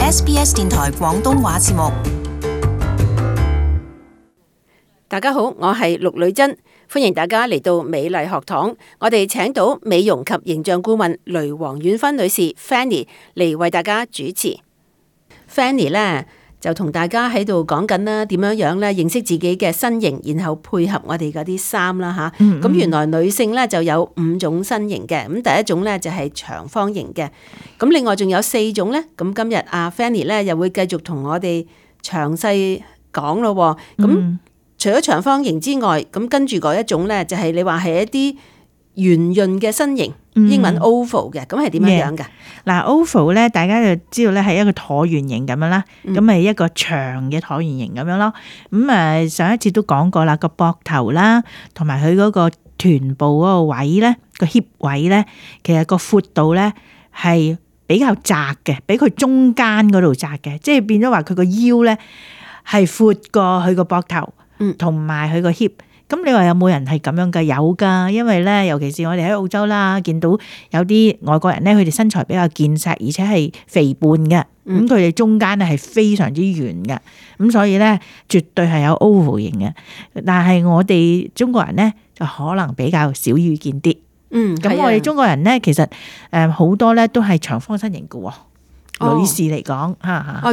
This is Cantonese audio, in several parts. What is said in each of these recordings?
SBS 電台廣東話節目。大家好，我係陸女珍，歡迎大家嚟到美麗學堂。我哋請到美容及形象顧問雷黃婉芬女士 Fanny 嚟為大家主持。Fanny 呢就同大家喺度講緊啦，點樣樣咧認識自己嘅身形，然後配合我哋嗰啲衫啦吓。咁原來女性咧就有5種身形嘅，咁第一種咧就係長方形嘅，咁另外仲有4種咧。咁今日阿 Fanny 咧又會繼續同我哋詳細講咯。咁除咗長方形之外，咁跟住嗰一種咧就係你話係一啲圓潤嘅身形，英文 oval 嘅，咁係點樣樣㗎？嗱 oval 咧，大家就知道咧係一個橢圓形咁樣啦，咁係一個長嘅橢圓形咁樣咯。咁上一次都講過啦，個膊頭啦，同埋佢嗰個臀部嗰個位咧，個 hip 位咧，其實個闊度咧係比較窄嘅，比佢中間嗰度窄嘅，即係變咗話佢個腰咧係闊過佢個膊頭，同埋佢個 hip。咁你話有冇人係咁樣㗎？有㗎，因為咧，尤其是我哋喺澳洲啦，見到有啲外國人咧，佢哋身材比較健碩，而且係肥胖嘅，咁佢哋中間咧係非常之圓嘅，咁所以咧絕對係有 oval 型嘅。但係我哋中國人咧就可能比較少遇見啲。咁我哋中國人咧其實好多咧都係長方身形嘅喎。女士嚟講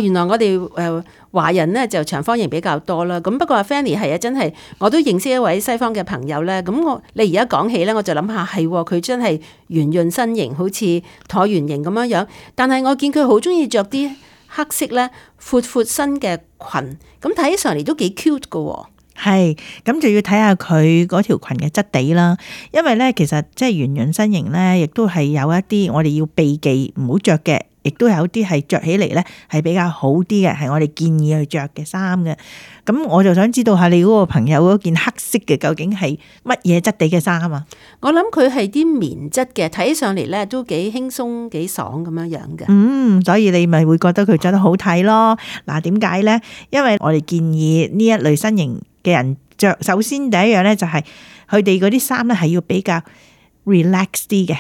原來我哋華人咧就長方形比較多啦。咁不過阿 Fanny 係啊，真係我都認識一位西方嘅朋友咧。咁你而家講起咧，我就諗下係佢真係圓潤身形，好似橢圓形咁樣樣。但係我見佢好中意着啲黑色咧闊身嘅裙，咁睇起上嚟都幾 cute 㗎喎。係，咁就要睇下佢嗰條裙嘅質地啦。因為咧，其實即係圓潤身形咧，亦都係有一啲我哋要避忌唔好着嘅。亦都有啲係着起嚟咧係比較好啲嘅，係我哋建議去着嘅衫嘅。咁我就想知道下你嗰個朋友嗰件黑色嘅究竟係乜嘢質地嘅衫啊？我諗佢係啲棉質嘅，睇起上嚟咧都幾輕鬆幾爽咁樣樣嘅。所以你咪會覺得佢着得好睇咯。嗱，點解咧？因為我哋建議呢一類身形嘅人着，首先第一樣咧就係佢哋嗰啲衫咧係要比較 relax 啲嘅。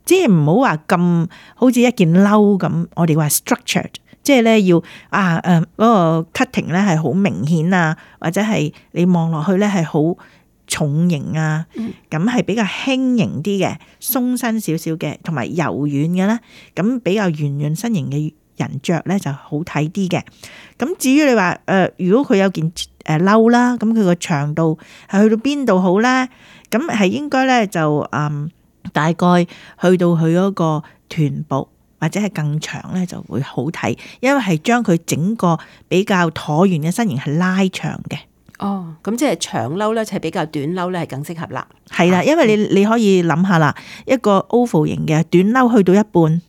即係唔好話咁好似一件褸咁，我哋話 structured， 即係咧要嗰個 cutting 咧係好明顯啊，或者係你望落去咧係好重型啊，咁係比較輕盈啲嘅，鬆身少少嘅，同埋柔軟嘅咧，咁比較圓潤身形嘅人着咧就好睇啲嘅。咁至於你話如果佢有件褸啦，咁佢個長度係去到邊度好咧？咁係應該咧就大概去到佢嗰個臀部或者係更長咧就會好睇，因為係將佢整個比較橢圓嘅身形係拉長嘅。咁即係長褸咧，就係比較短褸咧係更適合啦。係啦，因為你可以諗下啦，一個 oval 型嘅短褸去到一半，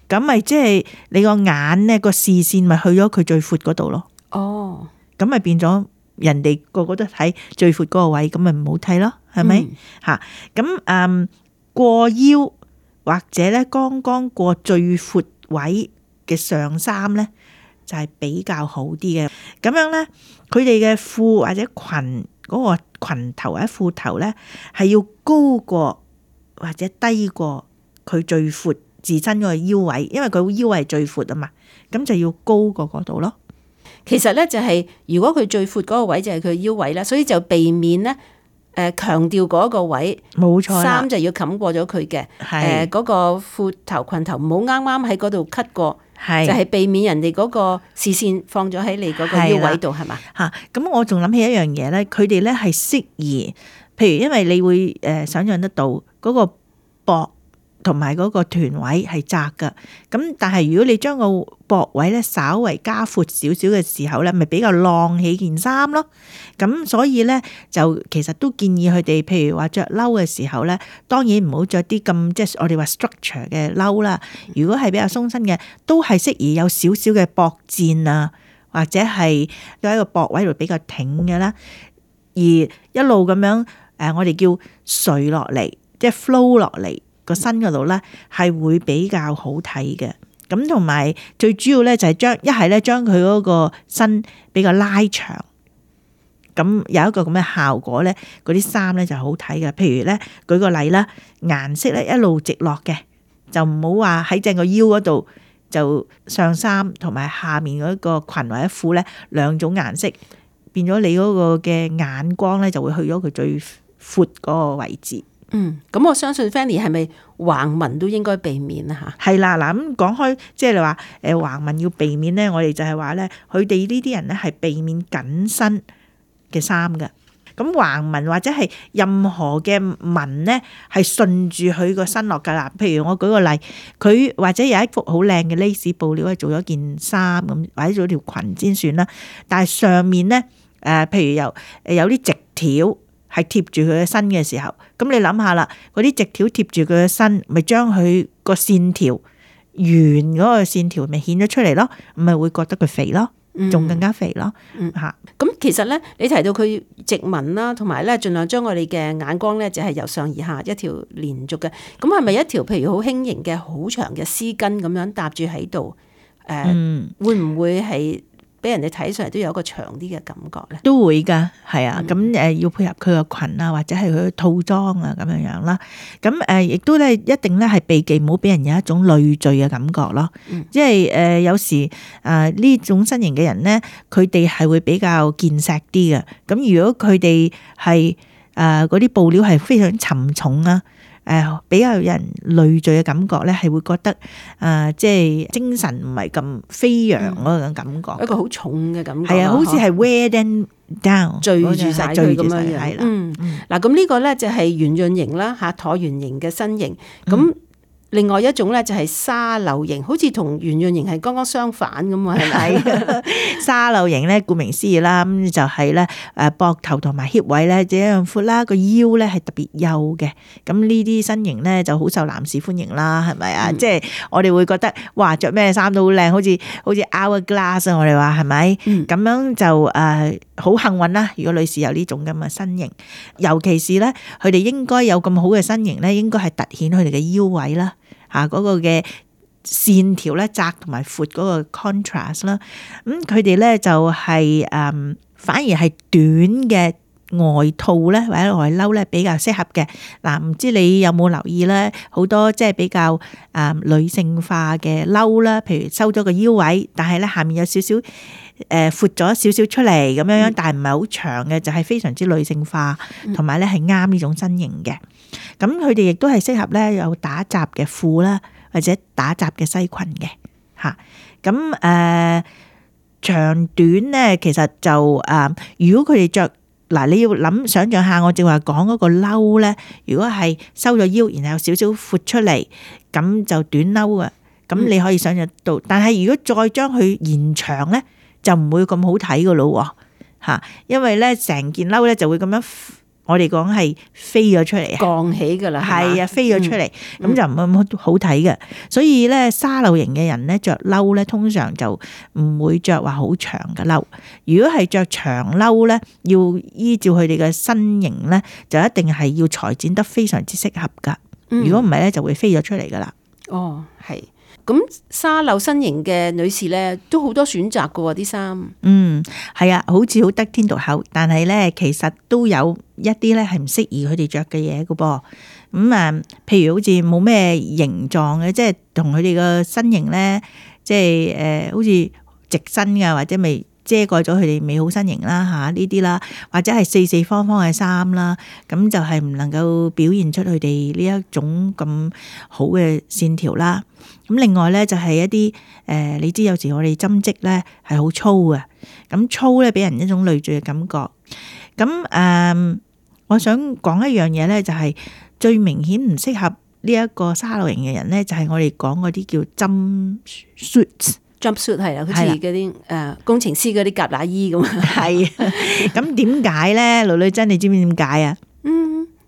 咁咪即係你個眼咧個視線咪去咗佢最闊嗰度咯。咁咪變咗人哋個個都睇最闊嗰個位，咁咪唔好睇咯，係咪？咁過腰或者咧剛剛過最闊位嘅上衫咧就係比較好啲嘅。咁樣咧佢哋嘅褲或者裙嗰個裙頭或者褲頭咧係要高過或者低過佢最闊自身嗰個腰位，因為佢腰位係最闊啊嘛，咁就要高過嗰度咯。其實咧就係如果佢最闊嗰個位就係佢腰位啦，所以就避免咧強調嗰個位，冇錯，衫就要冚過咗佢嘅，嗰個褲頭裙頭唔好啱啱喺嗰度 cut 過，就係避免人哋嗰個視線放咗喺你嗰個腰位度，係嘛？咁我仲諗起一樣嘢咧，佢哋咧係適宜，譬如因為你會想象得到嗰個膊同埋嗰個臀位係窄噶，咁但係如果你將個膊位咧稍為加闊少少嘅時候咧，咪比較晾起件衫咯。咁所以咧就其實都建議佢哋，譬如話着褸嘅時候咧，當然唔好着啲咁即係我哋話 structure 嘅褸啦。如果係比較鬆身嘅，都係適宜有少少嘅膊墊啊，或者係喺個膊位度比較挺嘅啦。而一路咁樣我哋叫垂落嚟，即係 flow 落嚟。個身嗰度咧係會比較好睇嘅，咁同埋最主要咧就係將佢嗰個身比較拉長，咁有一個咁嘅效果咧，嗰啲衫咧就好睇嘅。譬如咧舉個例啦，顏色咧一路直落嘅，就唔好話喺正個腰嗰度就上衫同埋下面嗰個裙或者褲咧兩種顏色，變咗你嗰個嘅眼光咧就會去咗佢最闊嗰個位置。咁我相信 Fanny 係咪橫紋都應該避免啊？嚇，係啦，嗱咁講開，即係你話橫紋要避免咧，我哋就係話咧，佢哋呢啲人咧係避免緊身嘅衫㗎。咁橫紋或者係任何嘅紋咧，係順住佢個身落㗎啦。譬如我舉個例，佢或者有一幅好靚嘅 lace 布料，係做咗件衫咁，或者做條裙先算啦。但係上面咧譬如有啲直條係貼住佢嘅身嘅時候，咁你諗下啦，嗰啲直條貼住佢嘅身，咪將佢個線條圓嗰個線條咪顯咗出嚟咯，咪會覺得佢肥咯，仲更加肥咯嚇。咁其實咧，你提到佢直紋啦，同埋咧盡量將我哋嘅眼光咧就係由上而下一條連續嘅，咁係咪一條譬如好輕盈嘅好長嘅絲巾咁樣搭住喺度？會唔會係俾人哋睇上嚟都有一個長啲嘅感覺咧？都會㗎，係啊，咁要配合佢個裙啊，或者係佢嘅套裝啊咁樣樣啦。咁亦都咧一定咧係避忌，唔好俾人有一種累贅嘅感覺咯。即係有時呢種身形嘅人咧，佢哋係會比較健碩啲嘅。咁如果佢哋係嗰啲布料係非常沉重啊，比較有人累贅嘅感覺咧，係會覺得即係精神唔係咁飛揚嗰種感覺，一個好重嘅感覺。係啊，好似係 wear them down，聚住晒佢咁樣樣。係啦。嗱，咁呢個咧就係圓潤型啦，嚇橢圓形嘅身形。咁另外一種咧就係沙漏型，好似同圓潤型係剛剛相反咁啊，係咪？沙漏型咧，顧名思義啦，咁就係咧膊頭同埋 hip 位咧，這樣闊啦，個腰咧係特別幼嘅。咁呢啲身形咧就好受男士歡迎啦，係咪啊？即係我哋會覺得哇，着咩衫都好靚，好似 hourglass 啊！我哋話係咪？咁樣就好幸運啦！如果女士有呢種咁嘅身形，尤其是咧，佢哋應該有咁好嘅身形咧，應該係凸顯佢哋嘅腰位啦。嗰個嘅線條咧窄同埋闊嗰個 contrast 啦，咁佢哋咧就係反而係短嘅外套咧或者外褸咧比較適合嘅。嗱，唔知你有冇留意咧？好多即係比較女性化嘅褸啦，譬如收咗個腰位，但係咧下面有少少闊咗少少出嚟咁樣，但係唔係好長嘅，就係非常之女性化，同埋咧係啱呢種身形嘅。咁佢哋亦都係適合咧有打褶嘅褲啦，或者打褶嘅西裙嘅嚇。咁長短咧，其實就如果佢哋着嗱，你要想像下，我正話講嗰個褸咧，如果係收咗腰，然後有少少闊出嚟，咁就短褸啊。咁你可以想像到，但係如果再將佢延長咧，就唔會咁好睇噶咯嚇，因為咧成件褸咧就會咁樣。我哋講係飛咗出嚟，降起噶啦，係啊，飛咗出嚟，咁就唔係咁好睇嘅。所以咧，沙漏型嘅人咧着褸咧，通常就唔會着話好長嘅褸。如果係着長褸咧，要依照佢哋嘅身形咧，就一定係要裁剪得非常之適合噶。如果唔係咧，就會飛咗出嚟噶啦。哦，係。咁沙漏身形嘅女士咧，都好多選擇噶喎啲衫。係啊，好似好得天獨厚，但係咧，其實都有一啲咧係唔適宜佢哋着嘅嘢噶噃。咁譬如好似冇咩形狀嘅，即係同佢哋個身形咧，即係好似直身噶，或者未遮蓋咗佢哋美好身形啦嚇呢啲啦，或者係四四方方嘅衫啦，咁就係唔能夠表現出佢哋呢一種咁好嘅線條啦。咁另外咧就係一啲你知有時我哋針織咧係好粗嘅，咁粗咧俾人一種累贅嘅感覺。咁我想講一樣嘢咧，就係最明顯唔適合呢一個沙漏型嘅人咧，就係我哋講嗰啲叫jumpsuit 係啦，好似嗰啲工程師嗰啲夾乸衣咁。係啊，咁點解咧？女珍，你知唔知點解啊？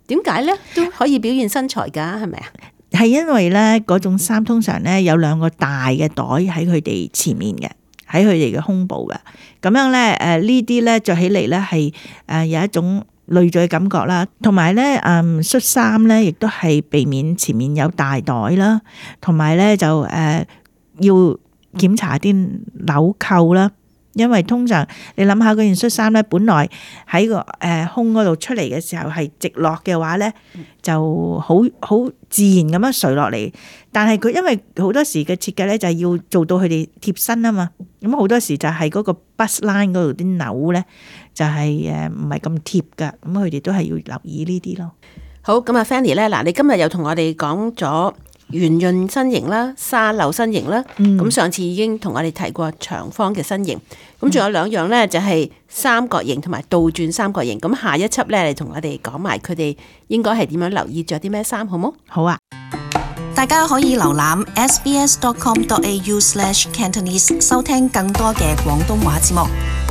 點解咧？都可以表現身材㗎，係咪啊？係因為咧嗰種衫通常咧有兩個大嘅袋喺佢哋前面嘅，喺佢哋嘅胸部嘅。咁樣咧呢啲咧着起嚟咧係有一種累贅嘅感覺啦。同埋咧恤衫咧亦都係避免前面有大袋啦，同埋咧就要檢查啲紐扣啦。因為通常你諗下嗰件恤衫咧，本來喺個胸嗰度出嚟嘅時候係直落嘅話咧，就好自然咁樣垂落嚟。但係佢因為好多時嘅設計咧，就係要做到佢哋貼身啊嘛。咁好多時就係嗰個 bust line 嗰度啲紐咧，就係唔係咁貼噶。咁佢哋都係要留意呢啲咯。好，咁啊 Fanny 咧，嗱，你今日又同我哋講咗圓潤身形啦、沙漏身形啦，咁上次已經同我哋提過長方嘅身形，咁仲有兩樣咧，就係三角形同埋倒轉三角形。咁下一輯咧，你同我哋講埋佢哋應該係點樣留意着啲咩衫，好冇？好啊！大家可以瀏覽 sbs.com.au/Cantonese 收聽更多嘅廣東話節目。